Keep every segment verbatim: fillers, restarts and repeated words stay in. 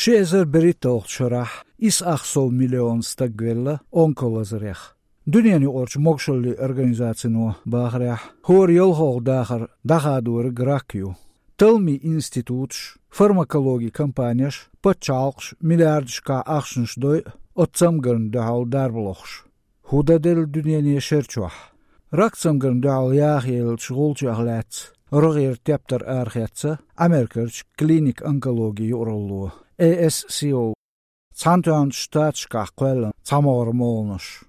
Ши эзар берхӀитталгӀачу шарахь исс ах сов миллион стаг велла онколазарех. Дуьненаюкъарчу могашаллин организацино бахарехь, хӀора ялхалгӀа дахар дӀахадориг рак ю. Талламийн институташ, фармакологин компанеш, пачхьалкхаш миллиардашкахь ахчанаш дойу оцу цамгарна дуьхьал дарба лохуш. ХӀун дан делла дуьнене шер чохь? Рак цамгарна дуьхьал яхъеллачу гӀулчех лаьцна рогӀера тептар арахецна Америкерчу клиник онкологи юкъаралло, A S C O. Цхьаьнатоьхначу Штаташкахь кхоьллина цхьа могӀара молханаш.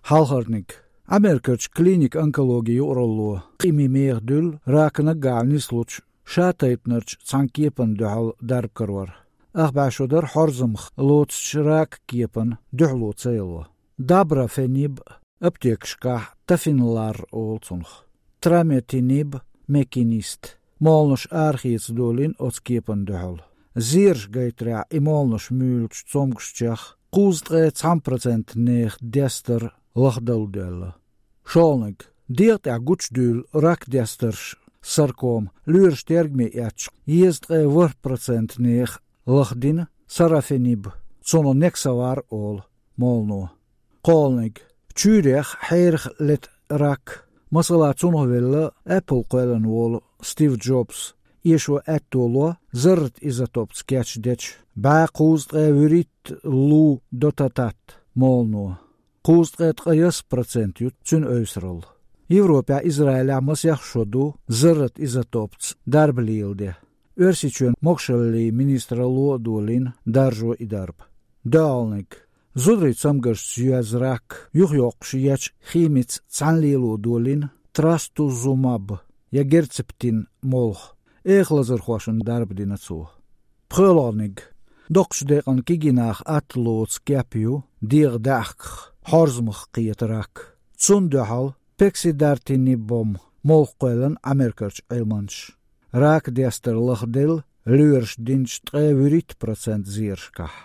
Хьалхарниг. Америкерчу клиник онкологи юкъаралло къамеле меха дуьллу ракана гахь нислучу шатайпанарчу цхьана кепана дуьхьал дарба карор. Ах бӀе шо дара хьорзамах лоцучу рак кепана дуьхьало ца яло. Дабрафениб, аптекашкахь тафинлар олу цунах, траметиниб, Мекинист, молханаш арахеца долийна оцу кепана дуьхьал. Зераш гайтарехь, и молханаш муьйлучу цомгушчех кхузткъе цхьана процент нехан дестар лахдала доьлла. ШолгӀаниг. ДегӀа тӀехь гучудуьйлу рак дестарш, саркома, лоьраш тергаме эцча, езткъе ворхӀ процент нехан лахдина сарафениб, цунах нексавар олу, молхано. КхоалгӀаниг. Чуьйрех, хьерах лета рак. Масала, цунах велла Apple кхоьллина волу Стив Джобс. Эшо аьтто ло зарратизотопца кечдечу бӀе кхузткъе вуьрхӀитта лу дотатат, молхано. Кхузткъе ткъаясса процент ю цуьнан эвсаралла. Европехь, Израилехь масех шо ду зарратизотопца дарба леладе. Оьрсийчоьнан могашаллин министралло а долийна даржо и дарба. ДоьалгӀаниг. Зударийн цамгаршца йоьзна рак юхайоккхуш ечу химица цхьаьна лело долийна трастузумаб я герцептин молха. Эхалазархошна дарба дина цо. ПхоьалгӀаниг. Доккхачу декъана кегий наха атта лоцу кеп ю дегӀан даьӀахках, хьорзамах кхета рак. Цунна дуьхьал пегфидартинибом молха кхоьллина Америкерчу Ӏилманчаша. Рак дестар лахделла лоьраша динчу ткъе вуьрхӀитта процент зерашкахь.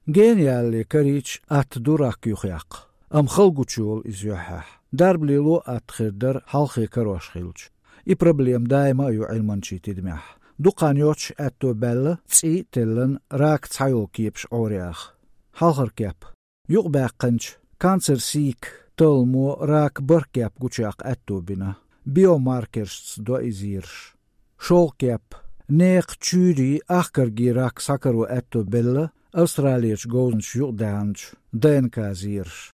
Генна ялале карийча атта ду рак юхаяккха, амма хала гучуйолу иза юьххьехь. Дарба лело атта хир дара хьалххе карош хилча. И проблема даима а ю Ӏилманчийн тидамехь. Дукха хан йоццуш аьтто баьлла, цӀий а теллина, ракан цхьайолу кепаш Ӏораяха. Хьалхара кеп. Юкъабаьккхинчу Cancer Seek талламо ракан бархӀ кеп гучуяккха аьтто бина. Биомаркершца до и зераш. ШолгӀа кеп. Нехан чуьйрийн, ахкаргийн рак схьакаро аьтто белла Австралерчу говзанчаша юкъадаьхначу ДНК-зераша.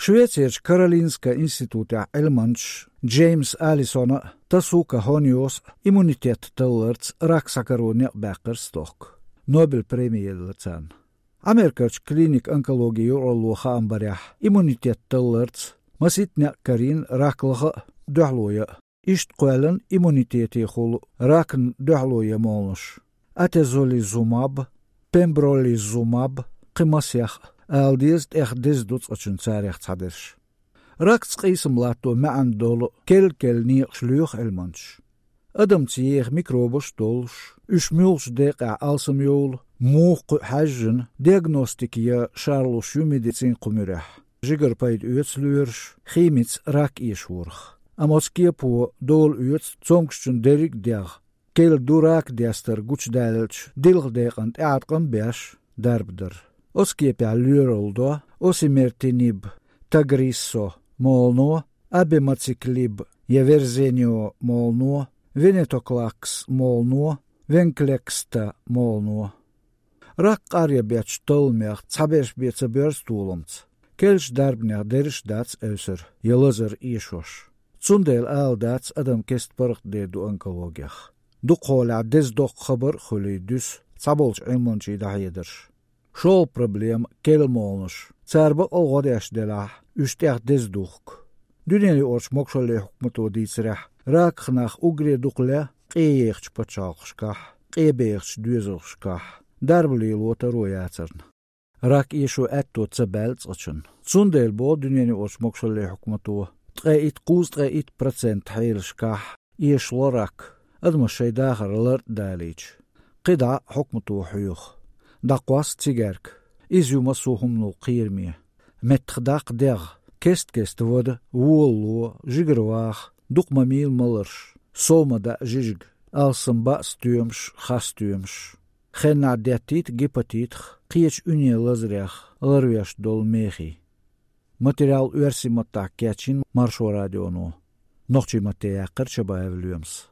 Швецерчу Каролинскан институтехь Ӏилманчаша Джеймс Алисона а, Тасука Хониос а иммунитет талларца рак схьакаро некъ баьккхира стохка. Нобель преми елла царна. Америкерчу клиник онкологи юкъаралло хаам барехь, иммунитет талларца масийтта некъ карийна рак лаха а, дуьхьало ян а. Иштта кхоьллина иммунитетехула ракна дуьхьало ян молханаш: атезолизумаб, пембролизумаб, кхин масех а, ала деза, тӀех деза ду цкъачунна царех цхьадерш. Ракца къийсам латто маьӀна долу керла-керла некъаш лоьху Ӏилманчаша. Адамца еха микробаш а долуш, уьш муьлхачу декъехь алсамйовлу, муха кхуьу хьаьжжина, диагностика ян шарлуш ю медицинан кху муьрехь. Жигара пайда оьцу лоьраша химица рак эшорах. Амма оцу кепо дола оьцу цомгушчун дерриг а дегӀ, керла ду рак дестар гучудаьллачу дилха декъана тӀеӀаткъам а беш, дарба дар. Оцу кепехь лоьралла до osimertinib, Tagrisso, молхано, abemaciclib я Verzenio, молхано, venetoclax, молхано, Venclexta, молхано. Рак къаръяран беттан талламех цхьаберш бен ца боьрзу толамца. Керлачу дарбанех дерриш а дац эвсар я лазар эшош. Цундела ала дац, адам кеста паргӀатдер ду онкологех. Дукхахьолехь деза доккха хабар а хуьлий дуьсу цхьаболчу Ӏилманчийн дӀахьедарш. ШолгӀа проблема — керла молханаш. Цара бакъ а гӀо деш делахь, уьш тӀех деза духку. Дуьненаюкъарчу могашаллин хьукмато дийцарехь, раках нах уггаре дукха ле къе ехачу пачхьалкхашкахь, къе бехачу доьзалшкахь, дарба лело таро яцарна. Рак эшо аьтто ца баьлла цкъачунна. Цундела боху дуьненаюкъарчу могашаллин хьукмато, ткъе итт, кхузткъе итт процент хьелашкахь эшало рак, адамаш шайн дахар лартӀа далийча. КхидӀа хьукмато хьоьху: дӀакхосса цигаьрка, иза ю массо а хӀуманал кхераме. Меттахдаккха дегӀ, кест-кеста вада, вола ло, жигара ваха, дукха ма мийла маларш, сов ма даьа жижиг, алссам баа стоьмаш, хасстоьмаш. Кхаьннахьа деттийта гепатитах, кхечу уьненан лазарех ларвеш долу мехий. Материал оьрсийн маттахь кечйина Маршо радионо. Нохчийн матте яьккхира Чабаев Лоьмас.